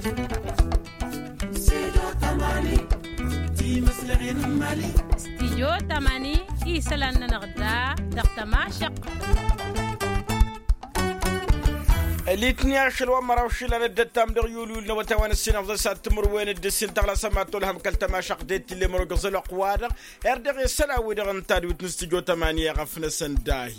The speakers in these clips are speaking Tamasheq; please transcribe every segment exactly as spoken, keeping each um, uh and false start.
Stidyo tamani, isălan-nănăɣ da dăɣ-tămašăq. Litni ašăl wa n-măraw išilan d-ăttam dăɣ-yulul n-awătay wa n-ǝssin ăfḍăn s-ad-timǝrwen d-ǝssin tăɣlasăm ad-tolhăm kăl-tămašăq d-e-t tǝllemăr ogăẓ ălwăqq-wa-dăɣ. Erdăɣ i-isălan-wi-dăɣ n-tadwit n-stidyo tamani iɣăf-năsăn dahi.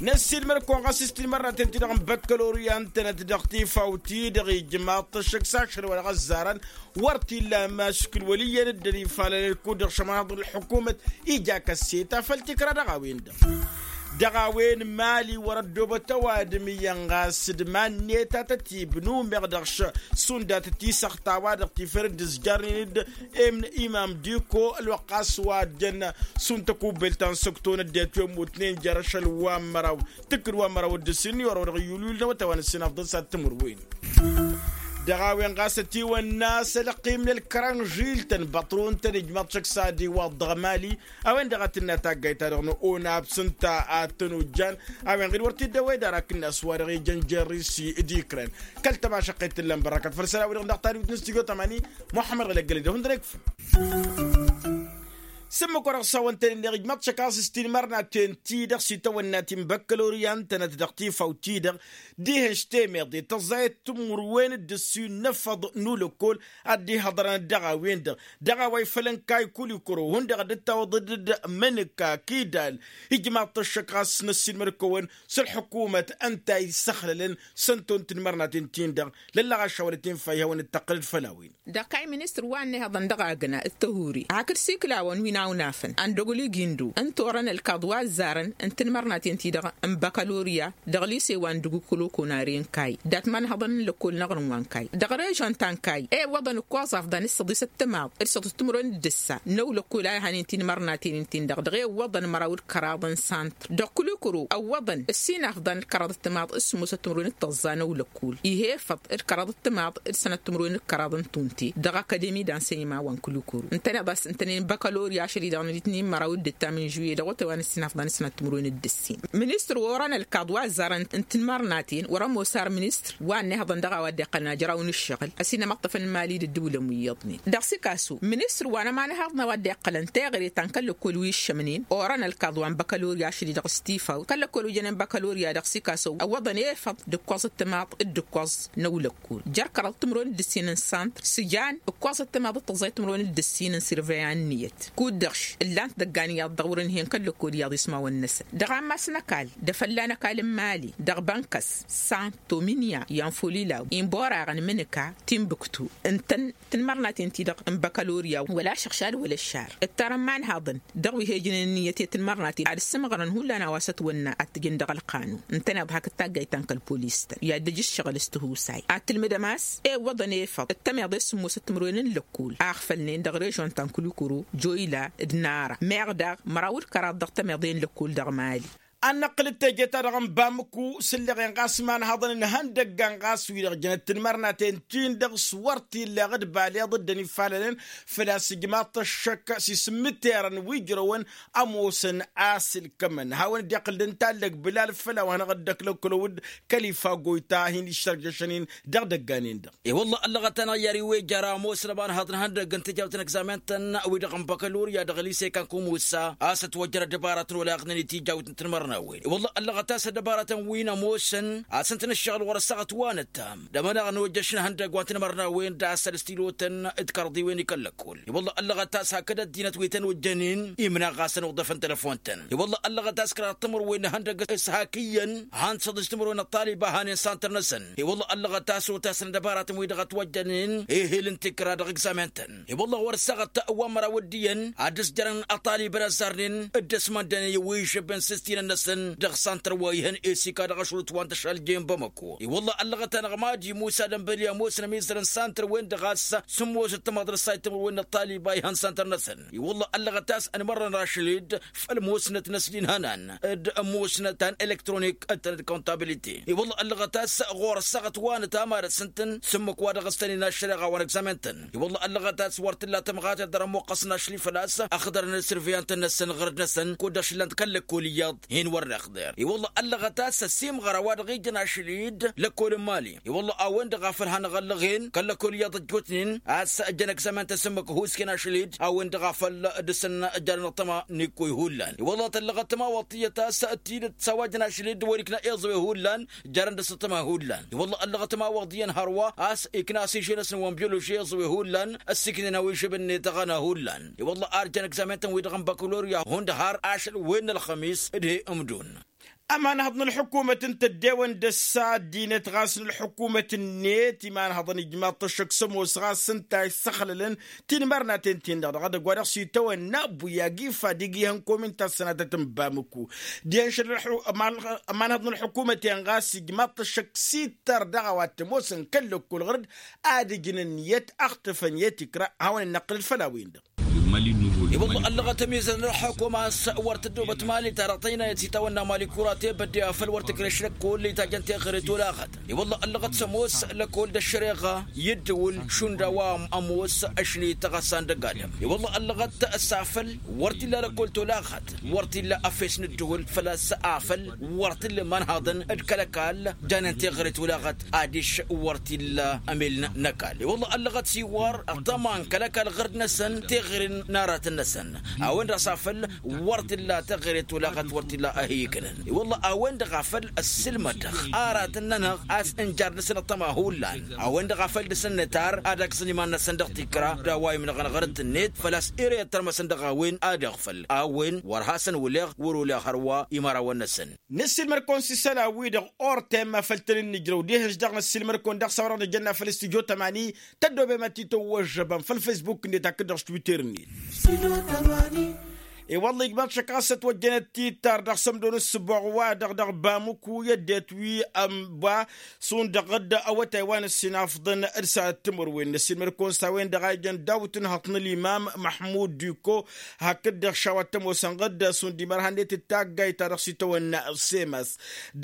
Năssiilmăd-kăwăn ɣas s-tinmărnaten-ti-dăɣ n-băkkălorya ǝntănăt dăɣ-tifawt-i-dăɣ ijmaḍ tăššăk s-ašăl wa dăɣ-ăzzarăn wăr t-illa ămaskǝl wăl' iyyăn dd-ănifalălăn kud-dăɣ šămănaḍ ălḥukumăt ija kăsseta făll-tikra dăɣ-a-wen-dăɣ. Dăɣ-a-wen mali wăr-ăddoobăt ăwadǝm iyyăn ɣas d-iman-net a tăt-ibnu meɣ dăɣ-šund a tăt-isăɣt a-wa-dăɣ tifăr dd-ǝzjarnen-dd emn imam diko ălwăqq a-s wa ăjjăn šund tăkubbelt ta n-săkton ăddinăt wi ămmutnen jer-ašăl wa n-măraw tǝkkǝd wa n-măraw d-ǝssin i-orăw dăɣ-iyyulul n-awătay wa n-ǝssin afḍăn s-ad-timǝrwen. Dăɣ-a-wen ɣas ătiwănna a-s ălqim n-ălkăranžil-tăn băṭru n-tăn-ijmaḍ šăkk s-ad-iwaḍ dăɣ-mali a-wen-dăɣ a tǝnna taggayt-ta-dăɣ n-onabs ǝnta a tăn-ojjan. A-wen ɣid wăr t-dd-ăwwed ara akǝnnas wa dăɣ-ijăn jerris d-ikren kăl-tămašăqqet t-ǝllăn bărrăkăt făll-isălan-wi-dăɣ dăɣ-tadwit n-stujo tamani. Muḥămmăd ɣǝlăggăled ihund n-ekf. S-ǝmmǝk wa dăɣ-s hawăn-tăn-in-dăɣ ijmăḍ šăkaẓ s-tinmărnaten-ti-dăɣ s-itawănna ti n-băkkălorya ǝntănăt dăɣ-tifawt-i-dăɣ dihen-š temeḍe tăẓẓayăt timǝrwen d-ǝssin n-efăḍ n-ulăkkol ad-dd-ihăḍrăn dăɣ-a-wen-dăɣ dăɣ-a-wa ifălăn kayy kulikuro hundăɣ dd-tawăḍ-dd mănǝka kidal. Ijmaḍ-t ăššăk ɣas năssiilmăd-kăwăn s-ălḥukumăt ǝnta a issăxlălăn săn-ton tinmărnaten-tin-dăɣ. Lăllăɣ ašăwălăt infa ihawăn-dd-tăqqǝlăd făll-a-wen. Dăɣ-kayy ministăr wa ǝnnihăḍăn dăɣ-agna d-tăhuri hakd s-iklawăn wi n-awnafăn ăndăgg ul-igindu n-torăn ălkaḍ wa ăzzarăn n-tinmărnaten-ti-dăɣ n-băkălorya dăɣ-lise wa n-dugǝkǝl okăwăn aren kayy dat-imanhăḍăn n-lăkkol n-aɣrǝm wa n-kayy dăɣ-režon ta n-kayy. Ewwăḍăn ǝkkoẓ afḍăn d-săḍisăt timaḍ d-săḍisăt timǝrwen d-ǝssa n-ăwlăkkol a ihănen tinmărnaten-in-tin-dăɣ dăɣ-e ǝwwăḍăn măraw d-kăraḍ n-santr dăɣ-kǝlukǝru ăwwăḍăn ǝssin afḍăn d-kăraḍ timaḍ d-sǝmmosăt timǝrwen d-tăẓẓa n-ăwlăkkol ih' efăḍ d-kăraḍ timaḍ d-sănăt timǝrwen d-kăraḍ n-tunte dăɣ-akademi d-ansăyma wa n-kǝlukǝru ǝntăneḍ a-s ǝntănen băkălorya ašăl-i-dăɣ n-ditnin măraw d-ǝttam n-žuye dăɣ-otăwan ǝssin afḍăn d-sănăt timǝrwen d-ǝssin. Ministăr wa orăn ălkaḍ wa ăzzarăn n-tinmărnaten wăr-ămoos ar ministăr wa ǝnnihăḍăn dăɣ-a-wa dd-iqqălăn ajraw n-ǝššăɣǝl ăsinămăṭṭăfăn n-imali d-ǝddǝwǝlăn wi iyyăḍnen. Dăɣ-sikaso ministăr wa n-ămanhăḍ n-a-wa dd-iqqălăn teɣăre ta n-kăl-lăkkol wi ǝššămnen orăn ălkaḍ wa n-băkălorya ašăl-i-dăɣ s-tifawt kăl-lăkkol wi jănen băkălorya dăɣ-sikaso ăwwăḍăn efăḍ d-ǝkkoẓăt timaḍ d-ǝkkoẓ n-ăwlăkkol jer-kăraḍ timǝrwen d-ǝssin n-santr s-jan ǝkkoẓăt timaḍ d-tăẓẓayt timǝrwen d-ǝssin n-sirveya ǝnniyăt kud-dăɣ š-ǝllan-t dăggan iyyăḍ dăɣ-wăr-ǝnhǝyăn kăl-lăkkol iyyăḍ ismawăn-năsăn. Dăɣ-ammas n-ăkall d-afălla n-ăkall n-mali dăɣ-bănkăs santo minya i-anfolilaw inboraɣăn mǝnǝka timbuktu ǝntăn tinmărnaten-ti-dăɣ n-băkălorya wăla ašăɣšad wăla ăššar ǝttarăn imanhaḍăn dăɣ-wi he-ǝjǝnen ǝnniyăt i-tinmărnaten ad-ǝssǝmɣărăn hullan a-wa s-ătwănna ad-t-ǝjǝn dăɣ-ălqanun ǝntăneḍ hakd taggayt ta n-kăl-polis-tăn i-ad-dd-ăj ǝššăɣǝl s-tihusay ad-tǝlmǝdăm a-s ewwăḍăn efăḍ d-temeḍe s-sǝmmosăt timǝrwen n-lăkkol a ăɣfălnen dăɣ-režon ta n-kǝlukǝru joyla d-nara meɣ daɣ măraw d-kăraḍ dăɣ-temeḍe n-lăkkol dăɣ-mali. Ad-năqqǝl d-teje-ta-dăɣ n-bamǝku s-ǝlleɣen ɣas imanhăḍăn n-ihăndăggan ɣas wi-dăɣ jănăt tinmărnaten-tin-dăɣ s-wăr t-illa ad-baleḍ dd-ănifalălăn făl-a-s ǝjmaḍ-t ăššăk s-isǝmmǝterăn wi ǝjrăwăn ămoosăn a-s ǝlkămăn hawăn-dd-iqqǝl d-ǝntallăg bǝlal făll-a-wa hanăɣ-dd-ăklăkkălăw-dd kăl-ifa goyta hin-iššărjăšăn-in dăɣ-idăggan-en-dăɣ. I-wălla ăllăɣăt-anăɣ i-ar iwwăy jer-ămoosăn ămanhăḍ n-ihăndăgg n-tijaw ta n-egzamen-tăn wi-dăɣ n-băkălorya dăɣ-lise kanku musa a-s ătwăjjăr ăddăbaratăn wăla iɣnăn i-tijawt n-tinmărnawen i-wălla ăllăɣăt a-s ăddăbaratăn wi n-ămoosăn a-s ǝntănăššăɣǝl ɣur-ăssaɣăt wa n-ăttam d-amănaɣ n-ojjăš n-ihăndăgg wa n-tinmărnawen d-asăl s-tilotăn d-kărḍiwen i-kăl-lăkkol i-wălla ăllăɣăt a-s hakd ăddinăt wi tăn-ojjănen imnaɣ ɣas ănuḍăf n-telăfon-tăn i-wălla ăllăɣăt a-s kăraḍ timǝrwen n-ihăndăgg s-hak iyyăn han-săḍis timǝrwen ăṭṭalib a hanen santăr-năsăn i-wălla ăllăɣăt a-s otasăn ăddăbaratăn wi-dăɣ ătwăjjănen ehel n-tikra dăɣ-egzamen-tăn i-wălla ɣur-ăssaɣăt wa n-măraw ăddiyăn ad-dd-ǝzjărăn ăṭṭalibăn ăzzarnen dd-ăsmăndănen i-wi išăbben s-ǝstinăn-năsăn dăɣ-santăr wa ihăn esika dăɣ-ašrut wa n-tăšalje n-bamăko i-wălla ăllăɣăt-anăɣ madi musa d-ănbăli ămoosăn ămizărăn santăr-wen-dăɣ a-s sǝmmos d-tămaḍrăsayt timǝrwen n-ăṭṭalib a ihăn santăr-năsăn i-wălla ăllăɣăt a-s ănmărrăn ašăl-dd făll-musnăt n-ăslin hănan d-musnăt ta n-elektronik ta n-kontabilite i-wălla ăllăɣăt a-s ɣur-ăssaɣăt wa n-ătamarăt s-ǝntăn s-ǝmmǝk wa dăɣ-s tăn-in-aššăreɣa wa n-egzamen-tăn i-wălla ăllăɣăt a-s wăr t-tǝlla tămɣatert dăr-ămmuqqăs n-ašli făl-a-s ăxdărăn d-sirveyant-năsăn ɣărd-năsăn kud-dăɣ šǝllan-t kăl-lăkkol iyyăḍ. wăr-ixḍer i-wălla ăllăɣăt a-s ăsimɣăr a-wa-dăɣ ijăn ašăl-dd lăkkol n-imali. I-wălla a-wen-dăɣ a făl hanăɣ-ăllăɣen kăl-lăkkol iyyăḍ ăjjootnen a-s ǝjjăn egzamen-tăn s-ǝmmǝk ăhuusken ašăl-dd a-wen-dăɣ a făl dăr-săn jarăn ăṭṭăma n-ikkoy hullan. I-wălla tăllăɣăt tămawaḍt tiyyăt a-s tidǝt s-a-wa jăn ašăl-dd wăr-ikna iẓwe hullan jarăn dăr-s ăṭṭăma hullan. I-wălla ăllăɣăt tămawaḍt iyyăn hărwa a-s ikna asiže-năsăn wa n-biyoloži iẓwe hullan ăssiiknen awižǝb-net aɣăna hullan. I-wălla ar jăn egzamen-tăn-wi-dăɣ n-bakulorya hundăhar ašăl wen n-ălxămis d-he-ǝmdun. Ămanhăḍ n-ălḥukumăt n-tăddewăn d-ăssa ăddinăt ɣas n-ălḥukumăt-net imanhăḍăn ijmaḍ-t ăššăk s-ămoos ɣas ǝnta a issăxlălăn tinmărnaten-tin-dăɣ dăɣ-edăgg wa dăɣ-s itawănna ăbuyag ifad igi ihăn komin ta s-sănatăt n-bamǝku. Dihen šăl ămanhăḍ n-ălḥukumăt-en ɣas ijmaḍ-t ăššăk s-ittăr dăɣ-a-wa t-ămoosăn kăl-lăkkol ɣur-dd ad-ǝjǝn ǝnniyăt ăxtǝfăn i-tikra. Hawăn-dd-năqqǝlăd făll-a-wen-dăɣ. Wălla ăllăɣăt ămizăl n-ălxukum a-s wăr tăddobăt mali ta dăɣ-tăynayăt s-itawănna mali kura tebădde afăl wăr tǝkreš lăkkol itajăn teɣăre tolaɣăt. I-wălla ăllăɣăt s-ămoos lăkkol d-ăššăreɣa i-ǝddǝwǝl šund a-wa ămoos ăšnit ɣas andăgg-adǝm. I-wălla ăllăɣăt s-afăl wăr t-illa lăkkol tolaɣăt wăr t-illa ăfes n-ǝddǝwǝl făl-a-s afăl wăr t-illa imanhaḍăn d-kăl-ăkall janen teɣăre tolaɣăt. Adiš wăr t-illa ămel n-ăkall i-wălla ăllăɣăt s-iwwar ăṭṭăma n-kăl-ăkall ɣǝrd-năsăn teɣăre n-aratăn-năsăn. A-wen-dăɣ s-afăl wăr t-illa teɣăre tolaɣăt wăr t-illa ăhiikǝlăn. I-wălla a-wen-dăɣ a făl ăssiilmăd-dăɣ aratăn-nănăɣ a-s ǝnjar dăr-săn ăṭṭăma hullan. A-wen-dăɣ a făl dăr-săn nǝtar ad-agǝẓăn iman-năsăn dăɣ-tikra d-a-wa imnăɣăn ɣărăt-net făl-a-s ere ăttărmăsăn dăɣ-a-wen ad-iɣfăl a-wen wăr hasăn-wǝleɣ wăr-oleɣ hărwa imărawăn-năsăn. Năssiilmăd-kăwăn s-isălan-wi-dăɣ ortem a făl tăn-dd-nǝjrăw dihen-š daɣ năssiilmăd-kăwăn dăɣ-s a-wa-dăɣ nǝjănna făll-s tijo tămani tăddoobem ad-t-tăwwăžžăbăm făll-fesbuk-net hakd dăɣ-s twitter-net. I-wălla ijmaḍ šăkk ɣas ătwăjjănăt titar dăɣ-sămdo n-ǝssǝboɣ-wa-dăɣ dăɣ-bamǝku i-ăddinăt wi ănba šund dăɣ-dd-awătay wa n-ăssinafḍăn d-sănăt timǝrwen năssiilmăd-kăwăn s-a-wen-dăɣ a ijăn dawt n-hăḍt n-ălimam măḥmud diko hakd dăɣ-šawăt tămoosăn ɣǝdda šund imărha-net d-taggayt ta dăɣ-s itawănna s-emas.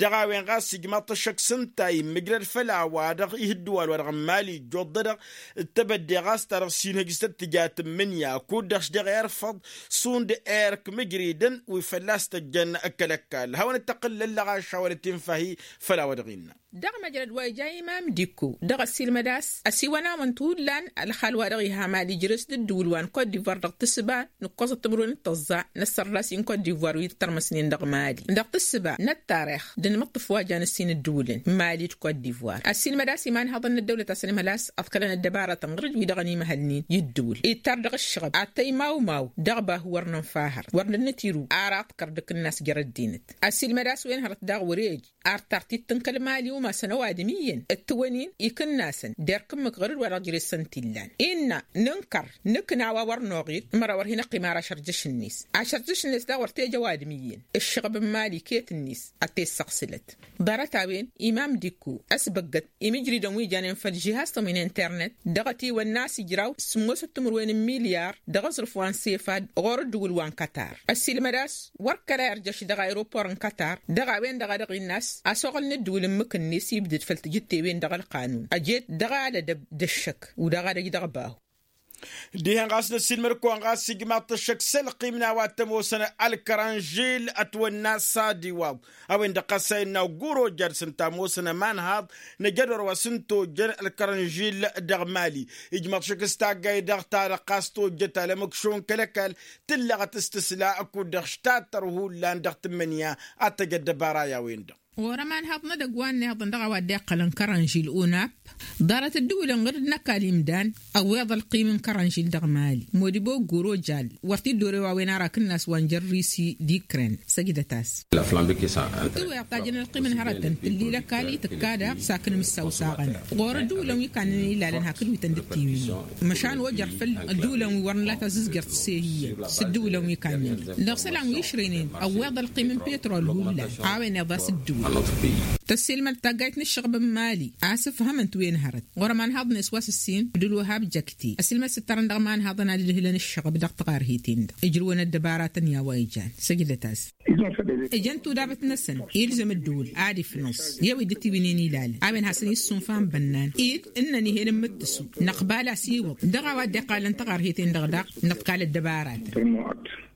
Dăɣ-a-wen ɣas ijmaḍ-t ăššăk s-ǝnta immǝjrăd făll-a-wa-dăɣ ih' ǝddǝwal-wa-dăɣ n-imali ijjuḍ-dăɣ d-tebădde ɣas ta dăɣ-s inhǝj s-ăttǝja tǝmmǝnǝya kud-dăɣ s-dăɣ irfăḍ šund erk mǝjridăn wi fălla-s tăjjăn kăl-ăkall hawăn-dd-tăqqǝllăllăɣ ašawăl ătinfahi. Făll-a-wa-dăɣ innă. Dăɣ-măjrăd wa ija imam dikko dăɣ-ăssiilmăd a-s ăsiwăn-awăn-t hullan ălxal-wa-dăɣ iha mali ijrǝs d-ǝddǝwǝl-wa n-kot divoir dăɣ-tǝssǝba n-ǝkkoẓăt timǝrwen d-tăẓẓa n-ăssărras-i n-kot divoir wi tărmăsnen dăɣ-mali dăɣ-tǝssǝba n-ăttarix d-anmǝṭṭǝf wa jan ǝssin ǝddǝwǝlăn n-mali d-kot divoir. Ăssiilmăd a-s imanhăḍăn n-ăddăwlăt a-s ănihăl a-s ăḍkălăn ăddăbaratăn ɣur-dd wi-dăɣ ănimăhălnen i-ǝddǝwǝl ittar dăɣ-ǝššăɣăb ad-tăymawmaw dăɣ-bahu wăr nǝnfahăr wăr nǝnnǝtiru ar aḍkăr d-akǝnnas jer-ăddinăt. Ăssiilmăd a-s wen hărăt daɣ wăr-ej ar tartit tǝnkăl mali umasăn ăwadǝm iyyăn d-tiwănin ikǝnnasăn d-erk ǝmmǝk ɣur-dd wa dăɣ-jere-săn t-illan innă nǝnkăr nǝkna a-wa wăr noɣed ǝmăra wăr hin-ăqqim ar ašărjăš-net. Ašărjăš-net daɣ wăr t-eja ăwadǝm iyyăn ǝššăɣăb n-mali iket-net ad-t-issăɣsǝlăt. Ḍarăt-a-wen imam dikko ăsbăggăt imǝjridăn wi janen făll-žihaz-tăn wi n-internet dăɣ-ătiwănna a-s ijraw sǝmmosăt timǝrwen n-milyar dăɣ-aẓrǝf wa n-sefad ɣur-ǝddǝwǝl wa n-kătar. Ăssiilmăd a-s wăr kăla irjăš dăɣ-aeropor n-kătar dăɣ-a-wen-dăɣ a dăɣ-innă a-s asoɣăl n-ǝddǝwǝl ǝmmǝk-net ibdăd făll-tijǝttewen dăɣ-ălqanun ăjet dăɣ-alădăb d-ǝššăk. U-dăɣ ad-ăj dăɣ-bahu. Dihen ɣas năssiilmăd-kăwăn ɣas ijmaḍ-t ăššăk s-ălqim n-a-wa t-ămoosăn ălkărănžil ătwănna s-adiwaḍ a-wen-dăɣ ɣas a innă gurojad s-ǝnta ămoosăn ămanhaḍ n-ajădor wa s-ǝnta ojjăn ălkărănžil. Dăɣ-mali ijmaḍ-t ăššăk s-taggayt dăɣ-ta-dăɣ ɣas tojjăt alămǝkšo n-kăl-ăkall tǝllăɣăt s-tǝsla ăkut dăɣ-ištăttăr hullan dăɣ-tǝmmǝnǝya ad-tăj ăddăbara i-a-wen-dăɣ. Ɣur-ămanhăḍ n-edăgg wa n-iyyăḍăn dăɣ-a-wa dd-iqqălăn kărănžil unap ḍarăt ăddǝwǝlăn ɣǝr-dd n-ăkall imdan ăwweḍ ălqim n-kărănžil dăɣ-mali modibo gurojal wăr t-dd-ore wa wen ara kǝnnas wa n-jăr-risi d-ikren. Săjdăt-as. Tǝwweḍ tajăn ălqim n-hărătăn tǝllil ăkall i-tǝkka daɣ s-akǝnmǝssaw s-aɣăna ɣur-ăddǝwǝlăn wi kannăn ilalăn hakd wi tăn-dd-tiwǝnnin măšan ojăr făll-ăddǝwǝlăn wi wăr nǝla tazǝzjărt s-e-hi-iyyăn s-ǝddǝwǝlăn wi kannăn dăɣ-isălan wi ǝšrăynen ăwweḍ ălqim n-pitrol hullan a-wen iḍas ǝddǝwǝl. Tăssiilmăd taggayt n-ǝššăɣb n-mali a-s ǝfhămăn-t wen hărăt ɣur-ămanhaḍ-net wa s-ǝssin abdulwăhab jăkte ăssiilmăd s-ǝttărăn dăɣ-imanhaḍăn ad-dd ǝlhǝlăn ǝššăɣb dăɣ-tiɣarheten-dăɣ ǝjrǝwăn ăddăbaratăn i-a-wa ijan. Săjdăt-as. Ǝjăn tudabăt-năsăn ilzăm ǝddǝwǝl ad-ifnǝẓ i-wi dd-tiwǝnnin ilalăn a-wen hasăn-issunfa n-bănnan ed ǝnnăn ih'-en n-imǝttǝsu năqbal a-s iwǝḍ dăɣ-a-wa dd-iqqalăn tiɣarheten-dăɣ daɣ nǝḍkal ăddăbaratăn.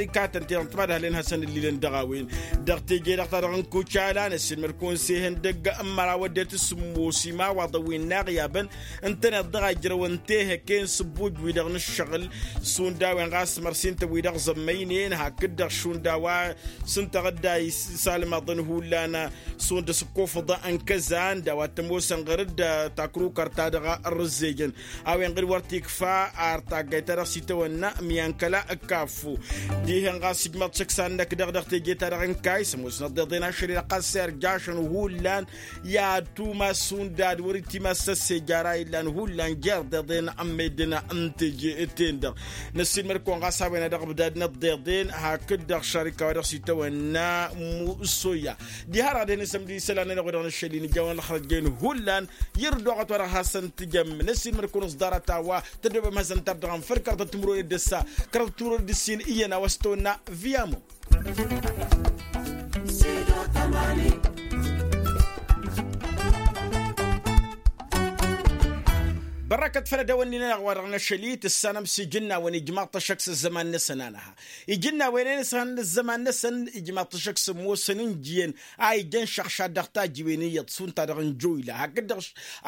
šarikatăn-ti-dăɣ n-timadhalen hasăn-ǝllilăn dăɣ-a-wen. Dăɣ-teje-dăɣ-ta-dăɣ n-kucala năssiilmăd-kăwăn s-ehăn dăgg-ămmăraw ăddinăt s-sǝmmos imawaḍăn wi n-inaɣyaben ǝntăneḍ dăɣ-a ijrăwăn tehăken s-ǝbbuj-wi-dăɣ n-ǝššăɣǝl. Šund a-wen ɣas mărsi ǝnta wi-dăɣ zămmăynen hakd-dăɣ šund a-wa s-ǝnta ɣǝdda isalmaḍăn hullan. Šund s-ǝkkofăḍ n-kăzan d-a-wa t-ămoosăn ɣăr-dd takrukărt-ta-dăɣ ărrǝzzejăn. A-wen ɣǝd wăr t-ikfa ar taggayt-ta-dăɣ s-itawănna miyan kăla ǝkkaffu. Dihen ɣas ijmăḍ šăksan-năk dăɣ-dăɣ teje-ta-dăɣ n-kayy s-ămoosnăt deḍen ašăl-i-dăɣ ɣas erjašăn hullan. I-ad-tumas šund ad-wăr-itimas s-ăssejara illan hullan jer-deḍen n-meddǝn n-teje-ten-dăɣ. Năssiilmăd-kăwăn ɣas a-wen ad-dăɣ-ǝbdadnăt deḍen hakd-dăɣ šarika wa dăɣ-s itawănna musoya. Diha-dăɣ ad-dd-hen isămdi isălan-nănăɣ wa dăɣ-năššăl-in ija a-wen ălxărăjjen hullan. Irdoɣăt wa dăɣ-hasăn-tǝjăm năssiilmăd-kăwăn s-ḍarăt a-wa tăddoobăm hasăn-tărdăɣăm făll-kărăḍăt timǝrwen d-ǝssa kărăḍăt timǝrwen d-ǝssin iyyăn a-wa s-tăwănna. Viyamo. Bărrăkăt făll-edăwănni-nănăɣ wa dăɣ-năšăl-it ǝssanăm s-ijǝnnawen ijmaḍ-t ăššăk s-ăzzăman-năsăn a nǝha. Ijǝnnawen-en s-han ăzzăman-năsăn ijmaḍ-t ăššăk s-ămoosăn n-ǝnjǝyăn a ijăn šăɣšad dăɣ-tajiwen iyyăḍ šund ta dăɣ-n joyla hakd-dăɣ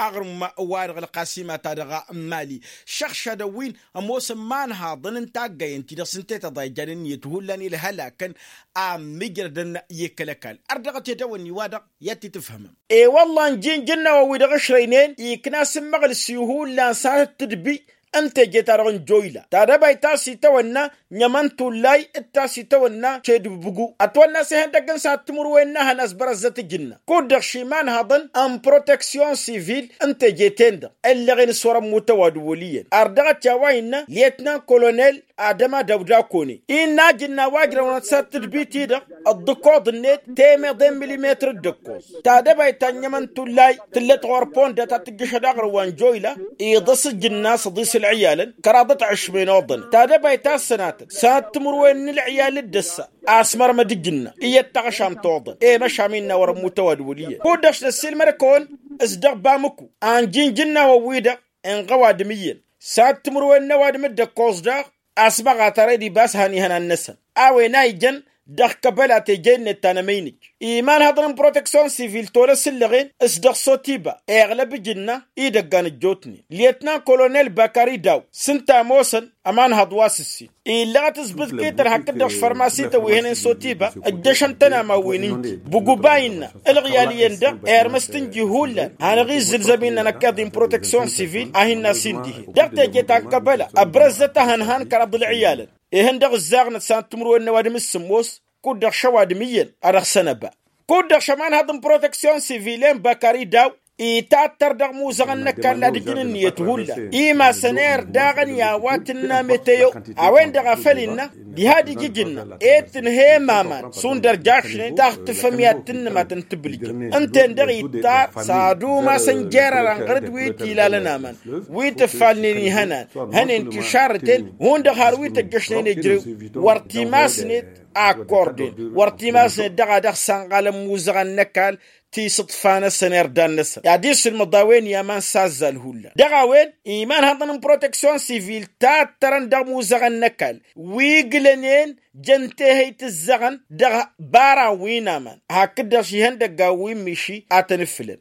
aɣrǝm wa dăɣ-ălqasima ta dăɣ-n mali. Šăɣšadăn-win ămoosăn imanhaḍăn n-taggayăn-ti-dăɣ s-ǝnta i-tăḍa ijan ǝnniyăt hullan i-ălhălakăn a ămmijrădăn i-kăl-ăkall. Ărdăɣăt i-edăwănni-wa-dăɣ i-ad-t-tǝfhămăm. E-wălla ǝnjǝy n-ijǝnnawăn-wi-dăɣ ǝšrăynen ikna s-ǝmmăɣǝl s-ihullan s-ad-tǝdbi n-teje-ta-dăɣ n-joyla tadăbayt ta s-itawănna. N-emăn tullay d-ta s-itawănna šedbǝbgu ătwănna s-ihăndăgg n-sănat timǝrwen n-ehăn ăsbărăzzăt ǝjǝnna kud-dăɣ šimanhăḍăn n-proteksyon sivil n-teje-ten-dăɣ. Ǝllăɣen s-wăr-ămmut ăwadǝm wăl' iyyăn ardăɣăt i-a-wa innă lyetnan kolonel adăma dăwda kone innă ajǝnna wa ǝjrăwnăt s-ad-tǝdbi-ti-dăɣ ăḍḍǝkoḍ-net temeḍe n-milimetr d-ǝkkoẓ. Tadăbayt ta n-emăn tullay tǝllăt ɣur-ponda ta tǝjjăšăd aɣrǝm wa n-joyla iḍăs ǝjǝnna s-ăḍis ǝlɣiyalăn kăraḍăt ăšmen oḍănăt tadăbayt ta s-sănatăt sănat timǝrwen n-ǝlɣiyal d-ăssa. Asmărmăd ǝjǝnna iyyăt taɣăšamt oḍăn i-măšam innă wăr-ămmut ăwadǝm wăl' iyyăn kud-dăɣ s-năssiilmăd-kăwăn s-dăɣ bamǝku. Anjǝnjǝnnawăn-wi-dăɣ inɣa ăwadǝm iyyăn sănat timǝrwen n-ăwadǝm d-ăkkoẓ daɣ. Asmăɣ atar edibas han ihănan-năsăn a-wen a ijăn dăɣ-kăbăla teje-net ta n-emăynǝj. Imanhăḍăn n-proteksyon sivil tolăs ǝllăɣen s-dăɣ sotiba iɣlăb ǝjǝnna idăggan ăjjootnen lyetnan kolonel bakari daw s-ǝnta a ămoosăn ămanhăḍ wa s-ǝssin illăɣăt s-bǝḍkităn hakd-dăɣ šfărmasităn wi hănen sotiba ǝjjăšăn-tăn aman wi n-ǝnji. Bǝgubay innă ǝlɣiyal iyyăn-dăɣ irmăs tǝnji hullan hanăɣ-izzǝlzăm innă năkkeḍ-i n-proteksyon sivil a hin-nas-in dihen dăɣ-teje ta n-kăbăla ăbrăzzăt ehăn han kăraḍ ǝlɣiyalăn. Ihăndăɣ ǝzzaɣnăt sănat timǝrwen n-ăwadǝm s-sǝmmos kud-dăɣ šăwadǝm iyyăn a dăɣ-săn ăba. Kud-dăɣ šămanhăḍ n-proteksyon sivil-en bakari daw itattăr dăɣ-imuzăɣăn n-ăkall ad-ǝjǝn ǝnniyăt hullan imasăn erd daɣăn i-a-wa tǝnna meteyo. A-wen-dăɣ a făl innă diha d-ija ǝjǝnna ed tǝnhăyăm aman šund ărjašnen taɣtǝfăm i-ad-tǝnnǝm ad-tăn-tǝblǝj ǝnta-en-dăɣ ittar s-ad-umasăn jer-ărănɣăr-dd wi t-ilalăn aman wi tǝffalnen ihănan hănen tišarrǝten hundăɣ har wi tăjjăšnen ejrăw. Wăr t-imasnet akkorden wăr t-imasnet dăɣ-a dăɣ-sănɣalăn imuzăɣăn n-ăkall ti s-ǝṭfa-năsăn irdan-năsăn i-ad-isǝlmăḍ a-wen i-aman s-azzal hullan dăɣ-a-wen. Imanhăḍăn n-proteksyon sivil tattărăn dăɣ-imuzăɣăn n-ăkall wi ǝglănen jăn tehăyt ǝzzăɣăn dăɣ-bara wi n-aman hakd-dăɣ šihăndăgga wi n-miši a tăn-ǝfǝlăn.